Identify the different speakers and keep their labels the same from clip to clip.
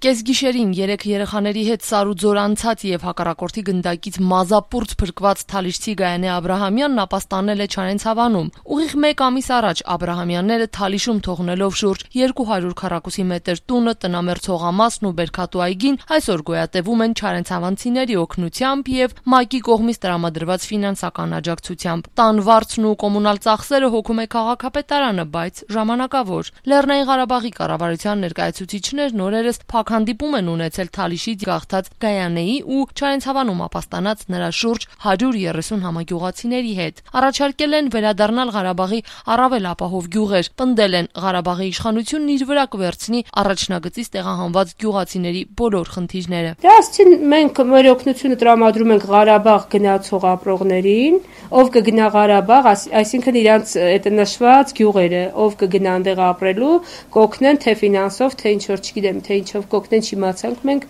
Speaker 1: Կեսգիշերին 3 երեխաների հետ Սարուձոր անցած եւ հակառակորդի գնդակից մազապուրծ փրկված Թալիշցի Գայանե Աբրահամյանն ապաստանել է Չարենցավանում։ Ուղիղ 1 ամիս առաջ Աբրահամյանները Թալիշում թողնելով շուրջ 200 քառակուսի մետր տունը, տնամերձ հողամասն ու Բերքատու այգին, այսօր գոյատևում են չարենցավանցիների օգնությամբ եւ ՄԱԿ-ի կողմից տրամադրված ֆինանսական աջակցությամբ։ Տան վարձն ու կոմունալ ծախսերը հոգում է քաղաքապետարանը, բայց ժամանակավոր։ Լեռնային Ղարաբաղի կառավարության ներկայացուցիչներն օրերս հանդիպում են ունեցել Թալիշից գաղթած Գայանեի ու Չարենցավանում ապաստանած նրա շուրջ 130 համագյուղացիների հետ։ Առաջարկել են վերադառնալ Ղարաբաղի առավել ապահով գյուղեր, պնդել են Ղարաբաղի իշխանությունն իր վրա կվերցնի առաջնագծից տեղահանված գյուղացիների բոլոր խնդիրները։
Speaker 2: Դասին մենք մեր օգնությունը տրամադրում ենք Ղարաբաղ գնացող ապրողներին, ով կգնա Ղարաբաղ, այսինքն իրանց այդ նշված գյուղերը, ով կգնա այնտեղ ապրելու, կօգնեն թե ֆինանսով, թե ինչ որ չգիտեմ, թե ինչով կօգնեն չիմացանք մենք,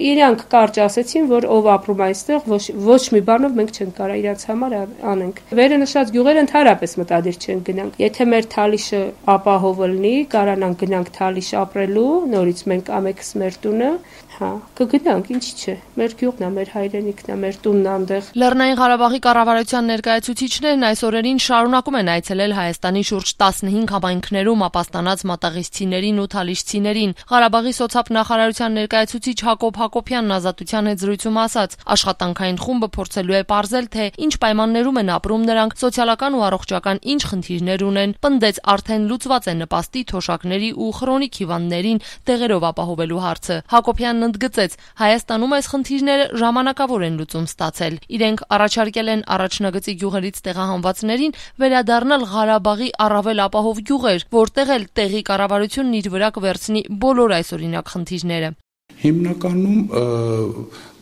Speaker 2: իրանք կարճ ասեցին, որ ով ապրում այստեղ, ոչ մի բանով մենք չենք կարող իրանց համար անենք։ Վերը նշած գյուղերը ընդհանրապես մտադիր չեն գնանք։ Եթե մեր Թալիշը ապահով լինի, կարանանք գնանք Թալիշ ապրելու, նորից մենք ամեքս մեր տունը, կգնանք, ինչի՞ չէ։ Մեր գյուղն է, մեր հայրենիքն է, մեր տունն այնտեղ։
Speaker 1: Լեռնային Ղարաբաղի կառավարության ներկայացուցիչներն այս օրերին շարունակում են այցելել Հայաստանի շուրջ 15 համայնքներում ապաստանած մատաղիցցիներին ու թալիշցիներին։ Ղարաբաղի սոցիալ-նախարարության ներկայացուցիչ Հակոբ Հակոբյանն Ազատության հետ զրույցում ասաց, աշխատանքային խումբը փորձելու է պարզել, թե ինչ պայմաններում են ապրում նրանք, սոցիալական ու առողջական ինչ խնդիրներ ունեն, պնդեց արդեն լուծված է նպաստի, թոշակների ու խրոնիկ հիվանդներին տեղերով ապահովելու հարցը։ Հակոբյանն ընդգծեց, Հայաստանում այս խնդիրները ժամանակավոր են լուծում ստացել։ Իրենք առաջարկել են առաջնագծի գյուղերից տեղահանվածներին վերադառնալ Ղարաբաղի առավել ապահով գյուղեր, որտեղ էլ տեղի կառավարությունն իր վրա կվերցնի բոլոր այսօրինակ խնդիրները։
Speaker 3: Հիմնականում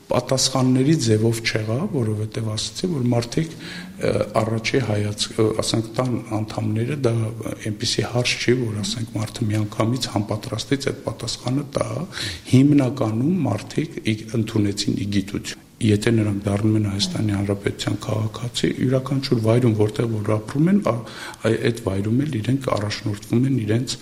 Speaker 3: պատասխանների ձևով չեղա, որովհետև ասացի, որ մարդիկ առաջի հայացք, ասենք տան անդամները դա այնպեսի հարց չի, որ ասենք մարդը միանգամից համապատրաստից այդ պատասխանը տա, հիմնականում մարդիկ ընդունեցին իգիտություն։ Եթե նրանք դառնում են Հայաստանի Հանրապետության քաղաքացի, յուրաքանչյուր վայրում, որտեղ որ ապրում են, այդ վայրում էլ իրենք առաջնորդվում են իրենց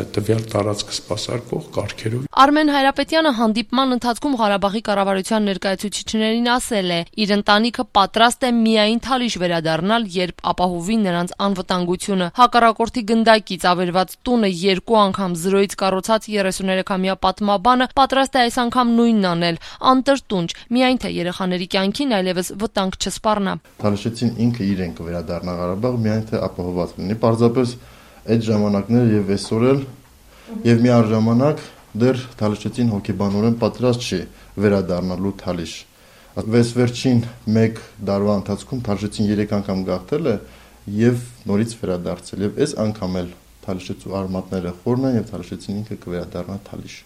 Speaker 3: տվյալ տարածքը սպասարկող կարգերով։
Speaker 1: Արմեն Հայրապետյանը հանդիպման ընթացքում Ղարաբաղի կառավարության ներկայացուցիչներին ասել է, իր ընտանիքը պատրաստ է միայն Թալիշ վերադառնալ, երբ ապահովի նրանց անվտանգությունը։ Հակառակորդի գնդակից ավերված տունը 2 անգամ զրոյից կառուցած 33-ամյա պատմաբանը պատրաստ է այս անգամ նույնն անել, անտրտունջ, միայն թե երեխաների կյանքին այլևս վտանգ չսպառնա։
Speaker 4: Թալիշեցին ինքը իրեն կվերադառնա Ղարաբաղ, միայն թե ապահովված լինի։ Պարզապես այդ ժամանակները եւ այսօր էլ եւ միաժամանակ դեռ Թալիշեցին հոգեբանորեն պատրաստ չի վերադառնալու Թալիշ։ Վերջին 1 տարվա ընթացքում Թալիշեցին 3 անգամ գաղթել է եւ նորից վերադարձել եւ այս անգամ էլ Թալիշեցու արմատները խորն են եւ Թալիշեցին ինքը կվերադառնա Թալիշ։